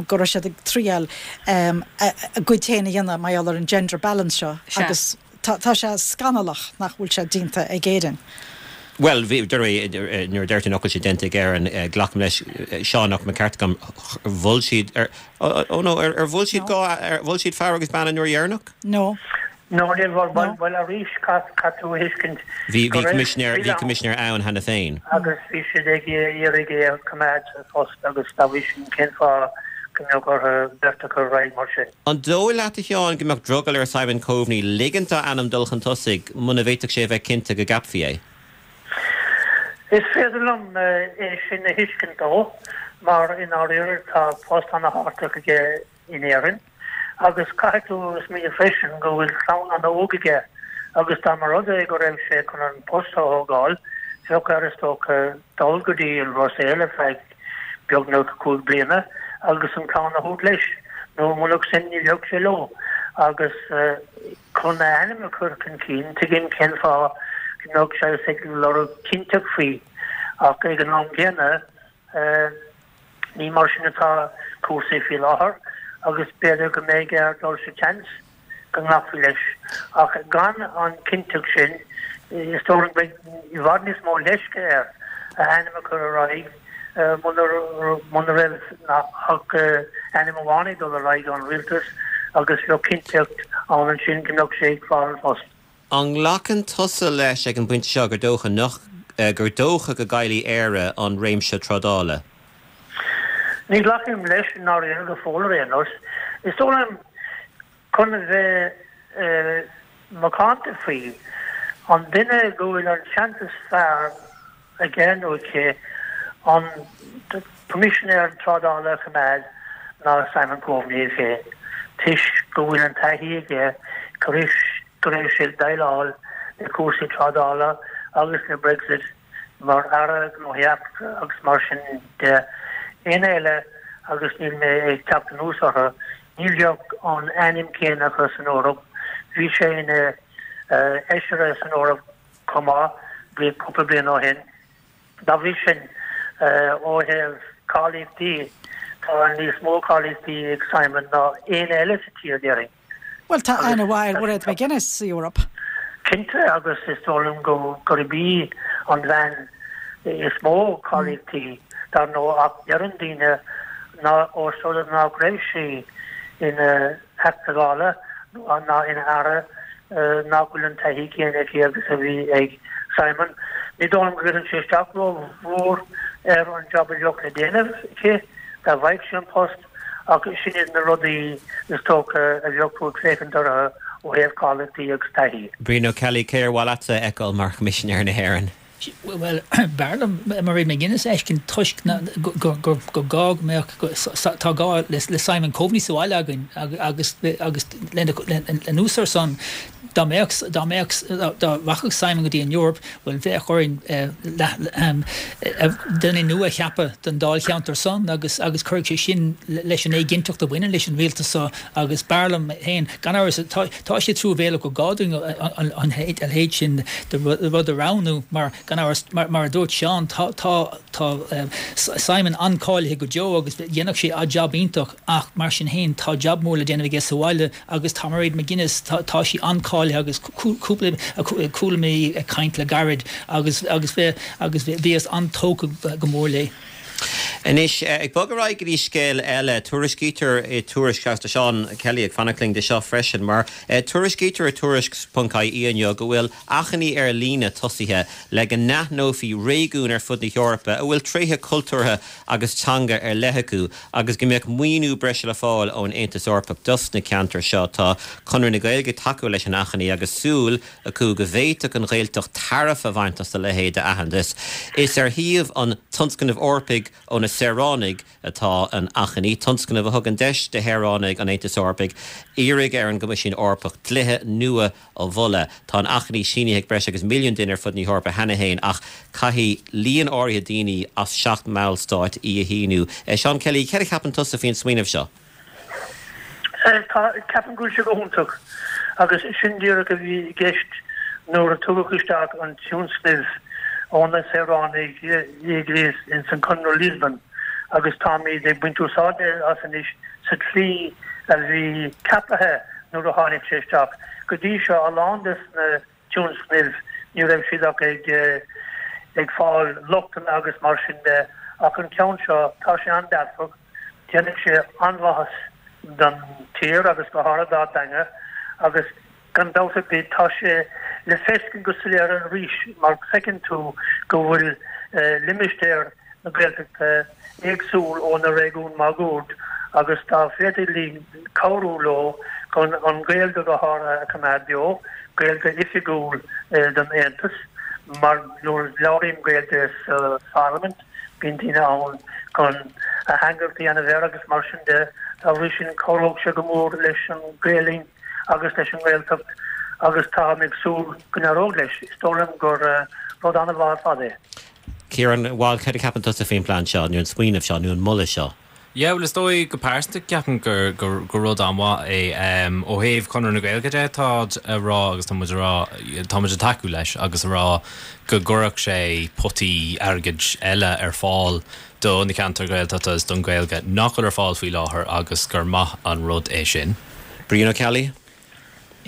go raibh siad ag triail a gcuid féin a dhéanamh mar gheall ar an gender balance seo agus tá, tá sé scannalach nach bhfuil sé déanta ag Éirinn. Bhuel, bhí, nuair a deir tú nach bhfuil sé déanta ag Éirinn, glacaim leis, Seán, nach mbeadh ceart agam, mhol siad, ar, oh no, ar, ar mhol siad dhá, ar mhol siad fear agus bean an uair dheireanach? No. No, níor mhol, bhuel, bhuel arís, caithfidh tú a thuiscint Bhí, bhí coimisinéir, bhí coimisinéir ann cheana féin. Agus bhí siad ag iarraidh é a choimeád sa phost agus dá bhrí sin cén fáth go mbeadh orthu beirt a chur ar aghaidh mar sin? An dóigh leat, a Sheáin, go mbeadh drogall ar Simon Coveney ligint dá ainm dul chun tosaigh muna bhféadfadh sé a bheith cinnte go gceapfaí é? Is féidir liom é sin a thuiscint dó mar i ndáiríre tá post ana-thábhachtach aige in Éirinn agus caithfidh tú smaoineamh freisin go bhfuil clann an-óg aige agus dá mba rud é go raibh sé chun an post a thógáil, bheadh air is dócha dul go dtí an Bhruiséil ar feadh beagnach cúig bliana agus an clann a thabhairt leis, nó murach sin ní bheadh sé leo agus chun a ainm a chur chun cinn, tuigim cén fáth go mbeadh sé ag lorg cinnteacht faoi ach ag an am gcéanna, Ní mar sin atá cúrsaí faoi láthair agus b'fhéidir go mbeidh air dul sa tseans go nglacfaí leis. Ach gan an chinnteacht sin, is dóigh liom go mbeidh i bhfad níos mó leisce air a ainm a chur ar aghaidh muna raibh ach ainm amháin ag dul ar aghaidh ón rialtas agus bheadh cinnteacht ann ansin go mbeadh sé ag fáil an phost. An nglacann tusa leis ag an bpointe seo gur dócha nach, gur dócha go gcaillfidh Éire an réimse trádála? Ní ghlacaim leis i ndáiríre go fóill ar aon nós. Is dóigh liom, chun a bheith macánta faoi, an duine go bhfuil an seans is fearr aige nó aici an Coimisinéir Trádála a choimeád ná Simon Coveney é féin, toisc go bhfuil an taithí aige tar éis go raibh sé ag déileáil le cúrsaí trádála agus le Brexit mar Aire Gnóthaí Eachtracha agus mar sin de. Éinne eile, agus níl mé ag teacht anuas orthu, ní bheadh an ainm céanna acu san Eoraip. Bhí sé ina Fheisire san Eoraip chomh maith cúpla bliain ó shin. Dá bhrí sin, ó thaobh cáilíochtaí, tá níos mó cáilíochtaí ag Simon ná éinne eile sa tír, déarfainn. Bhuel, tá aithne mhaith ar Mhairéad McGuinness sa Eoraip. Cinnte, agus is dóigh liom go gurb í an bhean is mó cáilíochtaí, dar ndóigh, ach deireann daoine ná ós rud é nach raibh sí ina Theachta Dála ná ina Aire nach bhfuil an taithí céanna aici agus a bhí ag Simon. Ní dóigh liom go gcuireann sé isteach rómhór ar an jab a bheadh le déanamh aici dá bhfaigheadh sí an post. Ach sin iad na rudaí is dócha a bheadh tú ag féachaint orthu ó thaobh cáilíochtaí agus taithí. Brian Ó Ceallaigh, cé ar mhaith leatsa a fheiceáil mar Choimisinéir na hÉireann? Bhuel, b'fhearr liom Mairéad McGuinness a fheiscint toisc gur gá go mbeadh, tá gá le Simon Coveney sa bhaile againn agus agus anuas ar san, dá mbeadh, dá mbeadh, dá rachadh Simon go dtí an Eoraip, Bhuel, bheadh orainn duine nua a cheapadh don dáilcheantar san agus agus cuirfidh sé sin leis an éiginnteacht a bhaineann leis an rialtas seo agus b'fhearr liom féin, gan amhras, tá sé truamhéalach gur gá dúinn a leithéid sin de rud a roghnú mar, gan amhras, mar a dúirt Seán, tá tá Simon an-cáilithe go deo agus dhéanfadh sé jab iontach ach mar sin féin tá jab mór le déanamh aige sa bhaile. Agus tá Mairéad McGuinness, tá sí an-cáilithe agus cúpla, chuala mé í ag caint le gairid agus agus agus bhíothas an-tógtha go mór léi. Anois, ag bogadh ar aghaidh go dtí scéal eile, tuairiscítear i Tuairisc, agus tá Seán Kelly ag fanacht linn de seo freisin, mar tuairiscítear i Tuairisc ponc ie inniu go bhfuil achainí ar líne tosaithe le go n-aithneofaí réigiúin ar fud na hEorpa a bhfuil tréithe cultúrtha agus teanga ar leith acu agus go mbeadh maoiniú breise le fáil ón Aontas Eorpach dos na ceantair seo. Tá Conradh na Gaeilge ag tacú leis an achainí agus súil acu go bhféadfadh an Ghaeltacht tairbhe a bhaint as a leithéid d'aitheantas. Is ar shuíomh an Tionscnaimh Eorpaigh ó na Saoránaigh atá an achainí, tionscnamh a thugann deis do shaoránaigh an Aontais Eorpaigh iarraidh ar an gCoimisiún Eorpach dlíthe nua a mholadh. Tá an achainí sínithe ag breis agus milliún duine ar fud na hEorpa cheana féin ach caithfidh líon áirithe daoine as seacht mballstát í a shíniú. Seán Kelly, céard a cheapann tusa faoin smaoineamh seo? Tá, ceapaim go bhfuil sé go hiontach agus sin díreach a bhí i gceist nuair a tugadh isteach an tionscnamh ó na saoránaigh i ins an Conradh Lisbon agus táimid ag baint úsáide as anois sa tslí a bhí ceapaithe nuair a tháinig sé isteach. Go dtí seo a lán des na tionscnaimh ní raibh siad ach ag ag fáil lochtanna agus mar sin de ach an ceann seo tá sé an-dearfach, déanfaidh sé an-mhaitheas don tír agus go háirithe dár dteanga agus gan dabht ar bith tá sé le feiscint go soiléir arís mar feiceann tú go bhfuil limistéar na Gaeltachta éagsúil ó na réigiúin máguaird agus dá féidir linn cabhrú leo chun an Ghaeilge go háirithe a choimeád beo, Gaeilge oifigiúil don Aontas mar nuair a labhraím Gaeilge sa Pharlaimint bíonn daoine ann chun ateangaireacht a dhéanamh air agus mar sin de. Dá bhrí sin cabhródh sé go mór leis an Ghaelainn agus leis an nGaeltacht agus táim ag súil go n-éireoidh leis. Is dóigh liom gur rud an-mhaith ar fad é. Ciarán, bhuel, céard a cheapann tusa faoin bplean seo, nó an smaoineamh seo, nó an moladh seo? Yeah, bhuel is dóigh go pearsanta ceapaim gur gur gur rud an-mhaith é. Ó thaobh Conradh na Gaeilge de táid a rá agus tá muid a rá tá muid ag tacú leis agus a rá go gcuirfeadh sé potaí airgid eile ar fáil do na ceantair Ghaeltachta is don Ghaeilge nach bhfuil ar fáil faoi láthair agus gur maith an rud é sin. Brian Ó Ceallaigh.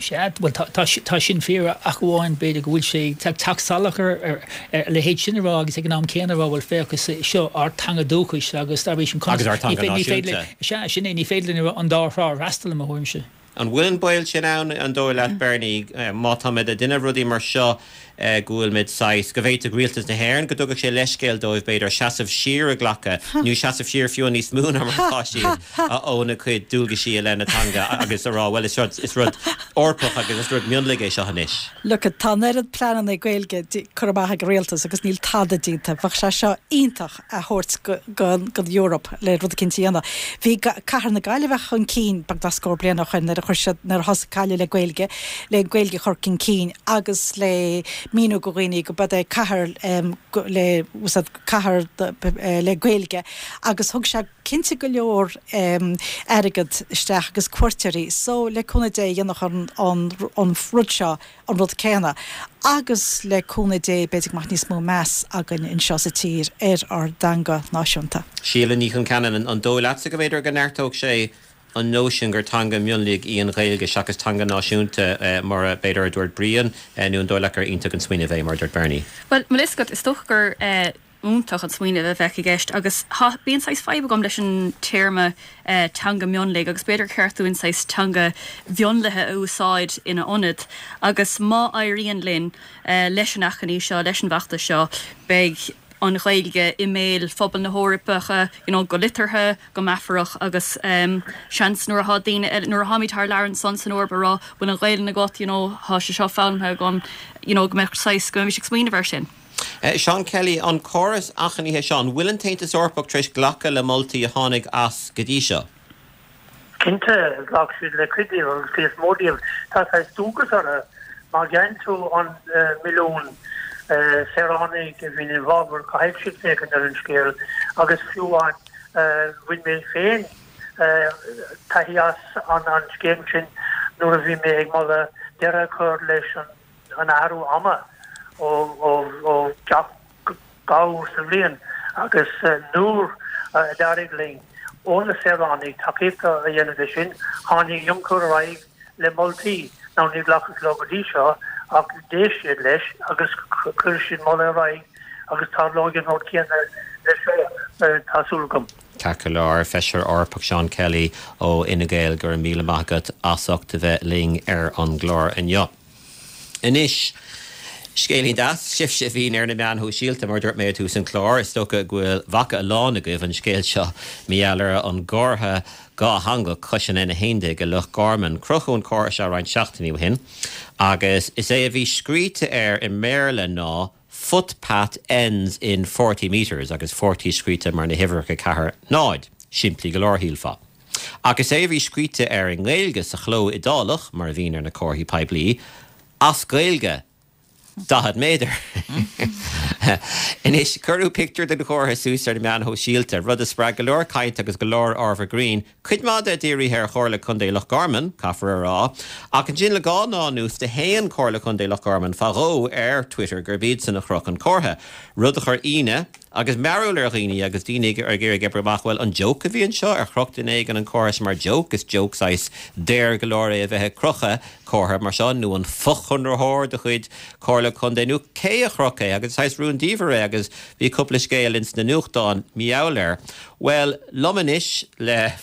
Sea, bhuel, tá sin fíor, ach amháin, b'fhéidir, go bhfuil sé ag teacht salach ar a leithéid sin a rá agus ag an am céanna a rá, bhuel, féach, is seo ár teanga dúchais agus dá bhrí sin, Agus ár teanga náisiúnta. Sea, sin é, ní féidir linn an dá thrá a fhreastal, i mo thuairimse. An bhfuil an baol sin ann, an dóigh leat, Bernie, má táimid ag déanamh rudaí mar seo, go bhfuilimid saghas, go bhféadfadh rialtas na hÉireann, go dtugadh sé leithscéal dóibh, b'fhéidir, seasamh siar a ghlacadh, nó seasamh siar fiú níos mó ná mar atá siad, óna gcuid dualgaisí i leith na teanga agus a rá, bhuel, is rud, is rud Eorpach agus is rud mionlaigh é seo anois. Look, tá an oiread pleananna Gaeilge curtha amach ag an rialtas agus níl tada déanta. Bheadh sé seo iontach a thabhairt go an Eoraip le rud eicínt a dhéanamh. Bhí cathair na Gaillimhe chun cinn beagnach scór bliain ó shoin nuair a chuir siad, nuair a thosaigh Gaillimh le Gaeilge, le an Ghaeilge a chur chun cinn agus le míniú go dhaoine go b'é cathair le cathair le Gaeilge agus thug sé cinnte go leor airgead isteach agus cuairteoirí so le cúnamh Dé dhéanfadh an an rud seo an rud céanna agus le cúnamh Dé b'fhéidir go mbeadh níos mó meas againn anseo sa tír ar ár dteanga náisiúnta. Síle Ní Chonceanainn, an dóigh leatsa go mb'fhéidir go neartódh sé an nóisean gur teanga mionlaigh í an Ghaeilge seachas teanga náisiúnta mar a b'fhéidir a dúirt Brian, nó an dóigh leat gur iontach an smaoineamh é mar a dúirt Bernie? Bhuel, bhfuil a fhios agat, is dócha gur iontach an smaoineamh a bheadh i gceist agus tá, bíonn saghas fadhb agam leis an téarma teanga mionlaigh agus b'fhéidir gur cheart dúinn saghas teanga mhionlaithe a úsáid ina ionad agus má éiríonn linn leis an achainí seo, leis an bhfeachtas seo, beidh an Ghaeilge i mbéal phobal na hEorpa, you know, go liteartha, go meafarach agus seans nuair atá daoine eile, nuair atháimid thar lear ansan san Eoraip a rá bhfuil an Ghaelainn agat, you know, tá sé seo foghlamtha agam, you know, go mbeadh saghas, go mbeimis ag smaoineamh air sin. Seán Kelly, An córas achainíocha seo, an bhfuil an tAontas Eorpach tar éis glacadh le moltaí a tháinig as go dtí seo? Cinnte, ghlac siad le cuid díobh agus cuid is mó díobh. Tá saghas dualgas orthu. Má gheibheann tú an milliún saoránaigh a bhíonn i bhfabhar, caithfidh siad féachaint ar an scéal agus fiú amháin bhain mé féin taithí as an scéim sin nuair a bhí mé ag moladh deireadh a chur leis an an athrú ama ó gach dhá uair sa bhliain agus nuair a d'éirigh linn ó na saoránaigh tacaíocht a dhéanamh de sin, tháinig Juncker ar aghaidh le moltaí. Now níor glacadh leo go dtí seo ach d'éist siad leis agus chuir siad moladh ar aghaidh agus tarlóidh an rud céanna leis seo. tá súil agam. Ceart go leor, Feisire Eorpach Seán Kelly ó Fhine Gael, go raibh míle maith agat as ucht a bheith linn ar an gclár inniu. Anois, scéilín deas, sibhse a bhíonn ar na meáin shóisialta, mar a dúirt mé ag tús an chláir, is dócha go bhfuil bhfaca a lán agaibh an scéal seo mar gheall ar an gcomhartha dhátheangach cois an N a haon déag i Loch Garman. Crochadh an comhartha seo roinnt seachtainí ó shin agus is é a bhí scríte air i mBéarla ná 'Footpath ends in forty metres' agus forty scríte mar na huimhreacha ceathair náid. Simplí go leor, shílfeá. Ach is é a bhí scríte air i nGaeilge sa chló iodálach, mar a bhíonn ar na comharthaí poiblí, 'As Gaeilge, daichead méadar'. Anois, cuireadh pictiúr den chomhartha suas ar na meáin shóisialta, rud a spreag go leor cainte agus go leor ábhar grinn, cuid mhaith de dírithe ar Chomhairle Contae Loch Garman, caithfear a rá. Ach ansin le dhá lá anuas do shéan Comhairle Contae Loch Garman fá dhó ar Twitter gurb iadsan a chroch an comhartha, rud a chuir ionadh agus mearbhall ar dhaoine agus daoine ag iarraidh oibriú amach, bhuel, an joke a bhí anseo? Ar chroch duine éigin an comhartha seo mar joke? Is joke saghas daor go leor é a bheith ag crochadh comhartha mar seo, nó an fochonraitheoir de chuid Comhairle Contae, nó cé a chroch é? Agus saghas rúndiamhair é agus bhí cúpla scéal ins na nuachtáin mar gheall air. Bhuel, liom anois le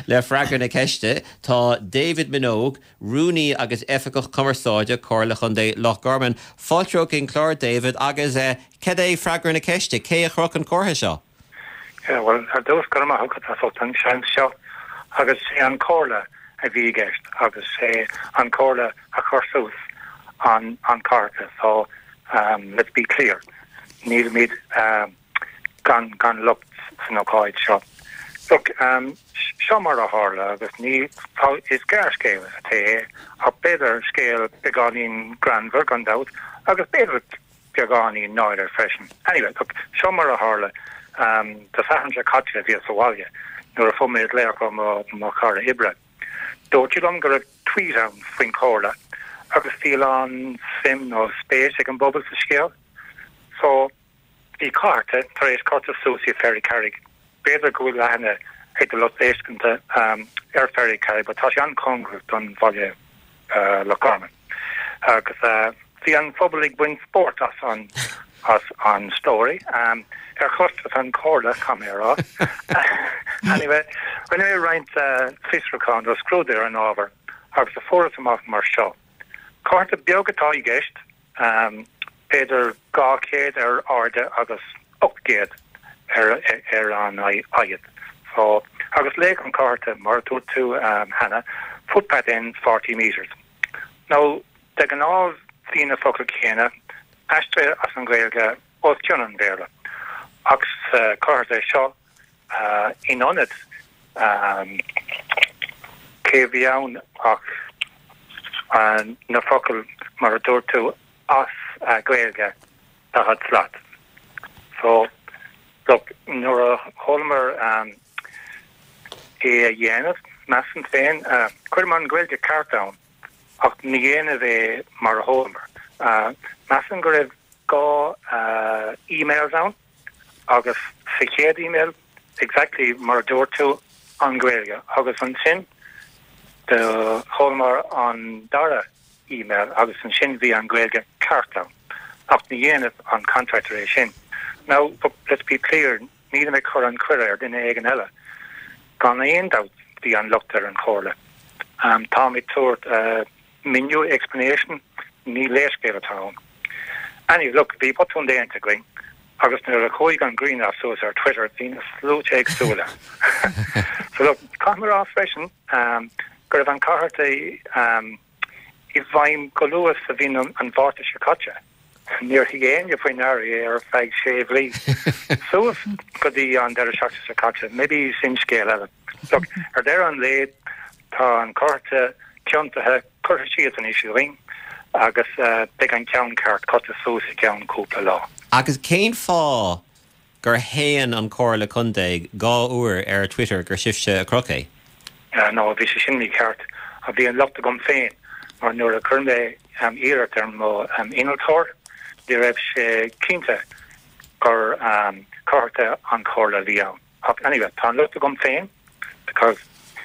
le freagra na ceiste tá David Minogue, Rúnaí agus Oifigeach Cumarsáide, Comhairle Chontae Loch Garman. Fáilte chuig an chlár, David, agus cad é freagra na ceiste, cé a chroch an comhartha seo? Yeah, bhuel, ar dtús, go raibh maith agat as ucht an seans seo, agus sé an Comhairle a bhí i gceist agus sé an Comhairle a chuir suas an an comhartha, so um, let's be clear, nílimid um, gan gan locht san ócáid seo. Look, um, seo mar a tharla agus ní tá is gearrscéal atá é ach b'fhéidir scéal beagáinín greannmhar gan dabht agus b'fhéidir beagáinín náire freisin. Anyway, look, seo mar a tharla um, Dé Sathairn seo caite bhíos sa bhaile nuair a fuair mé glaoch ó mo mo chara oibre. Dúirt sí liom go raibh tweet ann faoin chomhairle agus bhí a lán suim nó spéis ag an bpobal sa scéal. So bhí comhartha tar éis curtha suas i Ferrycarrig. B'fhéidir go bhfuil aithne ag do lucht éisteachta um, ar Ferrycarrig, but tá sé an-chóngarach don bhaile uh, Loch Garman. Agus uh, bhí an phobal ag baint spórt as an as an story. Um, ar chostas an chomhairle camera. Anyway, rinne mé roinnt uh, fiosrúchán nó scrúdú ar an ábhar agus a fuarthas amach mar seo. Comhartha beag atá i gceist, um, b'fhéidir dhá chéad ar airde agus ocht gcéad ar, ar an fhad. So, agus léigh an comhartha mar dúirt tú um, cheana, footpath ends forty meters. Now, de ghnáth bhí na focail céanna aistrithe as an Ghaeilge os cionn an Bhéarla. Ach sa comhartha seo uh, in ionad um, cé bhí ann ach uh, na focail mar a dúirt tú as uh, Gaeilge daichead slat. So look, nuair a chualamar um, é a dhéanamh measaim féin uh, chuireamar an Ghaeilge ceart ann ach ní dhéanamh é mar a chualamar. Uh, measaim go raibh dhá uh, emails ann agus sa chéad email exactly mar a dúirt tú an Ghaeilge agus ansin do chualamar an dara email agus ansin bhí an Ghaeilge ceart ann ach ní dhéanamh an contractor é sin. Now, let's be clear, nílim ag cur an choir ar duine éigin eile. Gan aon dabht bhí an locht ar an chomhairle. Um, tá mé ag tabhairt uh, míniú explanation ní leithscéal atá ann. Anyway, look, bhí botún déanta againn agus nuair a chuaigh an grianghraf suas ar Twitter bhí na sluaite éagsúla. So look, caithfidh mé a rá freisin um, go raibh an comhartha um, i bhfeidhm go luath sa mhí an Mhárta seo caite. Níor thug éinne faoi deara é ar feadh sé mhí. Suas go dtí an deireadh seachtaine seo caite, maybe sin scéal eile. Look, ar deireadh an lae tá an comhartha ciontaithe curtha síos anois againn agus uh, beidh an ceann ceart curtha suas i gceann cúpla lá. Agus cén fáth gur shéan an Comhairle Contae dhá uair ar Twitter gur sibhse a chroch é? Uh, no, bhí sé sin mícheart a bhí an locht agam féin mar nuair a chuir mé um, iarraidh ar mo um, innealtóir, ní raibh sé cinnte gur um, comhartha an chomhairle a bhí ann. Ach anyway, tá an locht agam féin because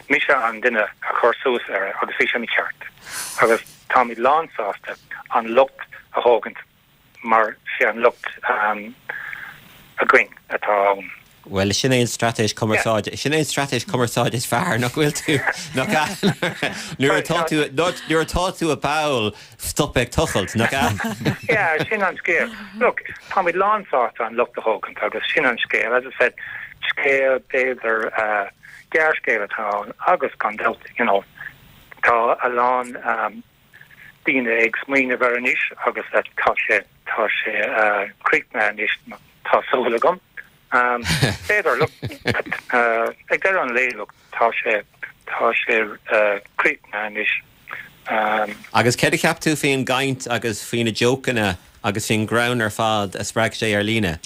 mise an duine a chuir suas air agus bhí sé mícheart. Agus táimid lánsásta an locht a thógaint mar sé an locht um, againn atá ann. Bhuel, sin é an straitéis cumarsáide, sin é an straitéis cumarsáide is fearr, nach bhfuil tú, nach ea? Nuair atá tú, nuair atá tú i bpoll, stop ag tochailt, nach ea? Yeah, sin an scéal. Look, táimid lánsásta an locht a thógaint agus sin an scéal. As I said, scéal, b'fhéidir, gearrscéal atá ann agus gan dabht, you know, tá a lán daoine ag smaoineamh air anois agus tá sé, tá sé críochnaithe anois, tá súil agam. B'fhéidir, look, ag deireadh an lae, look, tá sé, tá sé críochnaithe anois. Agus céard a cheap tú faoin gcaint agus faoi na jócanna agus faoin ngreann ar fad a spreag sé ar líne?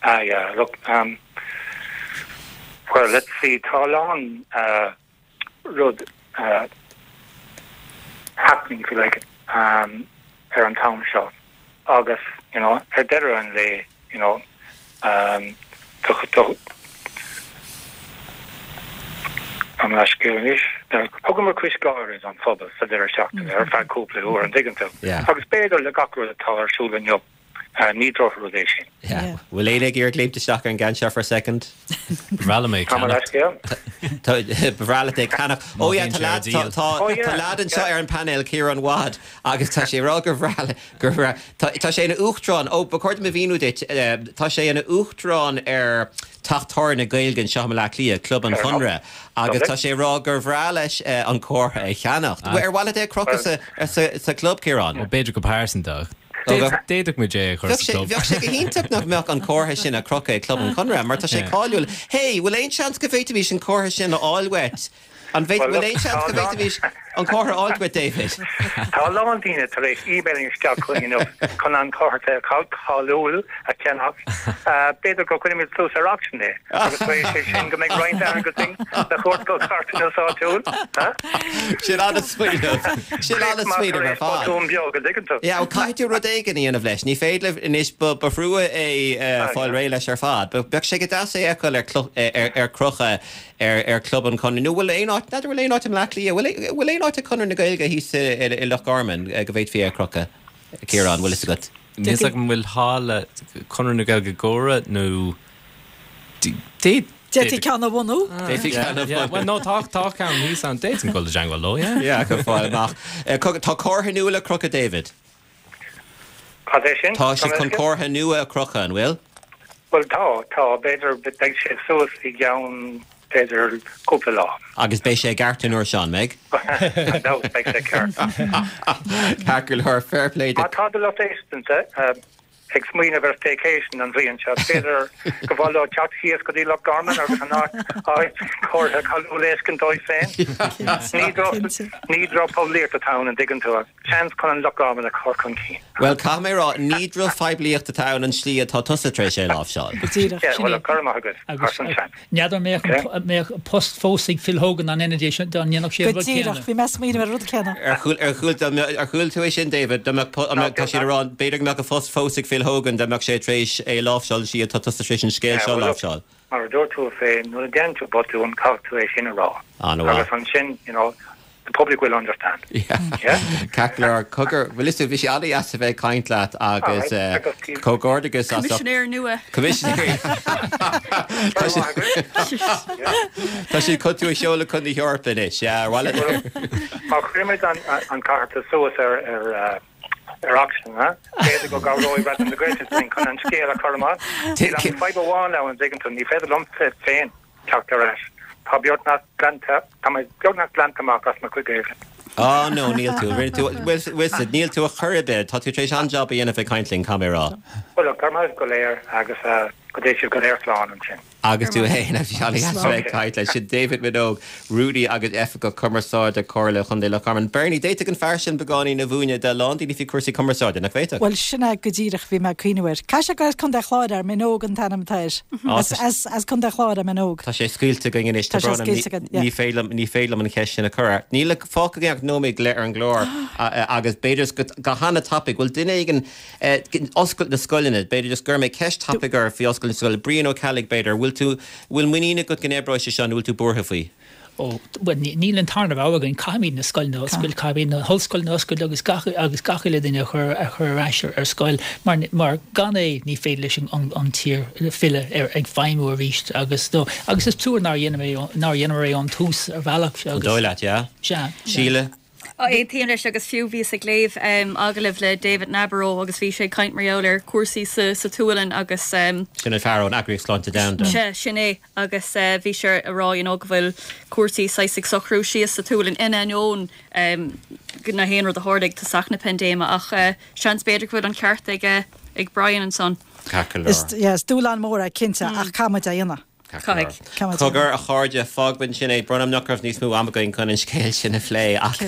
Ah yeah, look, um, well, let's see, tá a lán rud happening, if you like, um, ar an t-am seo agus, you know, ar deireadh an lae, you know, um, do, do, an leithscéal anois, thugamar cúis gháire don phobal sa deireadh seachtaine ar feadh cúpla uair, an dtuigeann tú? Agus b'fhéidir le gach rud atá ar siúl inniu, ní drochrud é sin. Yeah. Bhfuil éinne ag iarraidh léimt isteach ar an gceann seo for a second? Ba bhreá liom é Tá mar ceannacht. leithscéal. Ba bhreá leat é ceannach. Ó yeah, tá lad, tá, tá, Oh yeah, tá lad anseo yeah. ar an painéal, Ciarán Wadd, agus tá sé ag rá gur bhreá le, gur bhreá, tá, tá sé ina uachtarán, ó, ba chóir dom a mhíniú duit, eh, tá sé ina uachtarán ar Teach Tábhairne Gaeilge anseo i mBaile Átha Cliath, Club an Fair enough. Chonradh, agus Lovely. tá sé ag rá gur bhreá leis eh, an comhartha a cheannacht. Ah. Ar mhaith leat é a chrochadh sa, sa, sa club, Ciarán? Ó, b'fhéidir go pearsanta. Ó, go- D'fhéadfadh muid é a chur Bheadh sa sé, club. bheadh sé go hiontach nach mbeadh an comhartha sin á chrochadh ag Club an Chonradh, mar tá sé Yeah. cáiliúil. Hey, bhfuil aon seans go bhféadfaimis an comhartha sin a fháil uait? An bhféad, Well, bhfuil look, aon seans tá go a lán bhféadfaimis an comhartha a fháil uait, David? Tá a lán daoine tar éis email isteach chugainn inniu chun an comhartha cáiliúil a cheannach. B'fhéidir go gcuirfimid suas ar auction é agus tar éis é sin go mbeidh roinnt airgid againn le thabhairt go carthanas áitiúil. Sin an-smaoineamh. Sin an-smaoineamh ar Tar éis fad. botún beag, an dtuigeann tú. Yeah, well, caithfidh tú rud éigin a dhéanamh leis. Ní féidir libh anois ba ba thrua é uh, fáil réidh leis ar fad. Ba bheadh sé go deas é a fheiceáil ar clo- ar ar crochadh ar ar Club an Chonradh. Nó bhfuil aon áit, n'fheadar bhfuil aon áit i mBleá Cliath, bhfuil bhfuil aon áit ag Conradh na Gaeilge thíos i i Loch Garman eh, go bhféadfaí é a chrochadh? Ciarán, bhfuil fhios agat? Níl fhios agam bhfuil halla Conradh na Gaeilge Góra nó D'fhéadfaí D'fhéadfaí ceann a bhunú. D'fhéadfaí ceann a bhunú. Well no tá tá ceann thíos ann d'fhéadfainn dul i dteagmháil leo, yeah. Yeah, go fáil amach. Eh, co- Tá comhartha nua le crochadh David. Cad é sin? Tá sibh chun comhartha nua a chrochadh, an bhfuil? Well tá, tá, b'fhéidir beidh sé suas i gceann b'fhéidir cúpla lá. Agus beidh sé i gceart an uair seo, an mbeidh? No, beidh sé ceart. Ceart go leor, fair play Má tá do lucht éisteachta ag smaoineamh ar staycation an bhliain seo, b'fhéidir go mhaith leo teacht thíos go dtí Loch Garman agus an áit áit comhartha cáiliúil a fheiscint dóibh féin. Ní droch ní drochphoiblíocht atá ann an dtuigeann tú, seans chun an Loch Garman a chur chun cinn. Well, caithfidh mé rá, ní drochphoiblíocht atá ann an slí atá tusa tar éis é láimhseáil. Go díreach, Yeah, sin well, é. go raibh maith agat Agus as an seans. n'fheadar mbeadh an- mbeadh post fós ag Phil Hogan an ina dhiaidh sin dá ndéanfadh sé Go an rud díreach, céanna. bhí mé ag smaoineamh ar an rud céanna. Ar chuala ar chuala dá mbeadh- ar chuala tú é sin, David, dá mbeadh po- dá mbeadh- tá siad ag rá, b'fhéidir go mbeadh a phost fós ag Phil Hogan dá mbeadh sé tar éis é láimhseáil an slí atá tusa tar éis an scéal Yeah, seo well, look, láimhseáil. mar a dúirt tú féin, nuair a dhéanann tú botún, caithfidh tú é sin a rá. An-mhaith. Agus ansin, you know, the public will understand. Yeah. Yeah? Ceart go leor, cogar, bhfuil fhios agat, bhí sé an-deas a bheith ag caint leat agus Alright, eh, agus tí- comhghairdeachas as Coimisinéir nua. Coimisinéir. Tá sé- Tá siad chun tú a sheoladh chun na hEorpa anois, yeah, ar mhaith leat? Má chuirimid an, an comhartha suas ar, ar, uh, ar auction, huh? B'fhéidir go gcabhróidh Raidió na Gaeltachta linn chun an scéal a chur amach. Níl ach fadhb amháin ann, an dtuigeann tú, ní féidir liom féin teacht ar ais. Tá beagnach glanta, tá mé beagnach glanta amach as mo chuid Gaeilge. Á no, níl tú, rinne tú, bhfuil fhios, níl tú a chor ar bith, tá tú tar éis an-job a dhéanamh ag caint linn, caithfidh mé a rá. Well, look, go raibh maith go léir agus uh, go dté sibh go léir slán ansin. Agus tú féin a bhí an-deas a bheith ag caint leis sin David Minogue, Rúnaí agus Oifigeach Cumarsáide Comhairle Chontae Loch Garman. Bernie, d'fhéadfadh an fear sin beagáinín a mhúineadh do lán daoine faoi cúrsaí cumarsáide, nach bhféadfadh? Well sin é go díreach bhí mé ag cuimhneamh air. Caithfidh sé gur as Contae Chláir é, Minogue an t-ainm atá air. Á, As, tá sé- as, as Contae Chláir é Minogue. Tá sé scaoilte againn anois Tá sé tá brón orm, scaoilte againn, yeah. ní féidir liom- ní féidir liom an cheist sin a chur air. Níl le fágtha againn ach nóiméad go leith ar an gclár a- a- agus b'fhéidir go go han-tapaidh, bhfuil duine éigin eh, oscailt na scoileanna, b'fhéidir just go mbeidh ceist tapaidh ar faoi oscailt na scoile. Brian Ó Ceallaigh b'fhéidir, bhfuil tú bhfuil muinín agat go n-oibreoidh sé seo nó bhfuil tú buartha faoi? Ó, bhuel, níl an tarna rogha againn, caithfimid na scoileanna a oscailt, caithfimid na hollscoileanna a oscailt agus gach, agus gach uile duine a chur, a chur ar ais ar scoil mar, mar gan é ní féidir leis an, an tír filleadh ar, ag feidhmiú arís agus, no, agus is trua nár dhéanamar é, nár dhéanamar é ón tús ar bhealach agus. An dóigh leat, yeah? Sea. Síle? Aontaím leis agus fiú bhíos ag léamh agallamh le David Nabarro agus bhí sé ag caint mar gheall ar chúrsaí sa sa tSualainn agus. Sin an fear ón Eagraíocht Sláinte Domhanda. Sea, sin é agus bhí sé ag rá you know go bhfuil cúrsaí saghas ag socrú síos sa tSualainn in ainneoin na haon rud a tharla ag tosach na paindéime ach seans b'fhéidir go bhfuil an ceart ag ag Brian ansan. Ceart go leor. Yeah, is dúshlán mór é cinnte ach caithfimid é a dhéanamh. Caithfidh. Cogar, a chairde, fágfaimid ansin é. Brón orm nach raibh níos mó ama againn chun an scéal sin a phlé ach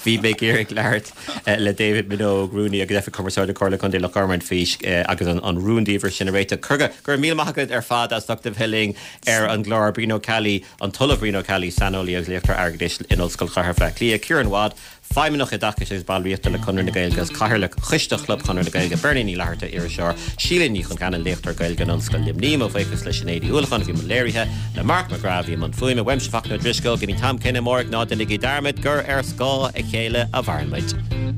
bhí mé ag iarraidh labhairt le David Minogue, Rúnaí agus Oifigeach Cumarsáide Chomhairle Contae Loch Garman faoi agus an rúndiamhair sin a réiteach. Go raibh míle maith agat ar fad as ucht a bheith linn ar an gclár. Brian Ó Ceallaigh, an tOllamh Brian Ó Ceallaigh, saineolaí agus léachtóir airgeadais in Ollscoil Chathair Bhaile Átha Cliath, Ciarán Wadd, Feidhmeannach Oideachais agus Ballraíochta le Conradh na Gaeilge agus Cathaoirleach Choiste Chlub Chonradh na Gaeilge, Bernie Ní Fhlatharta, Iriseoir, Síle Ní Chonceanainn, Léachtóir Gaeilge in Ollscoil Luimnigh, Mo bhuíochas le Sinéad Uí Uallacháin a bhí i mbun léirithe, le Mark McGrath a bhí i mbun fuaime, uaimse Fachtna Ó Drisceoil, go dtí an t-am céanna amárach, ná déanaigí dearmad gur ar scáth a chéile a mhaireann muid.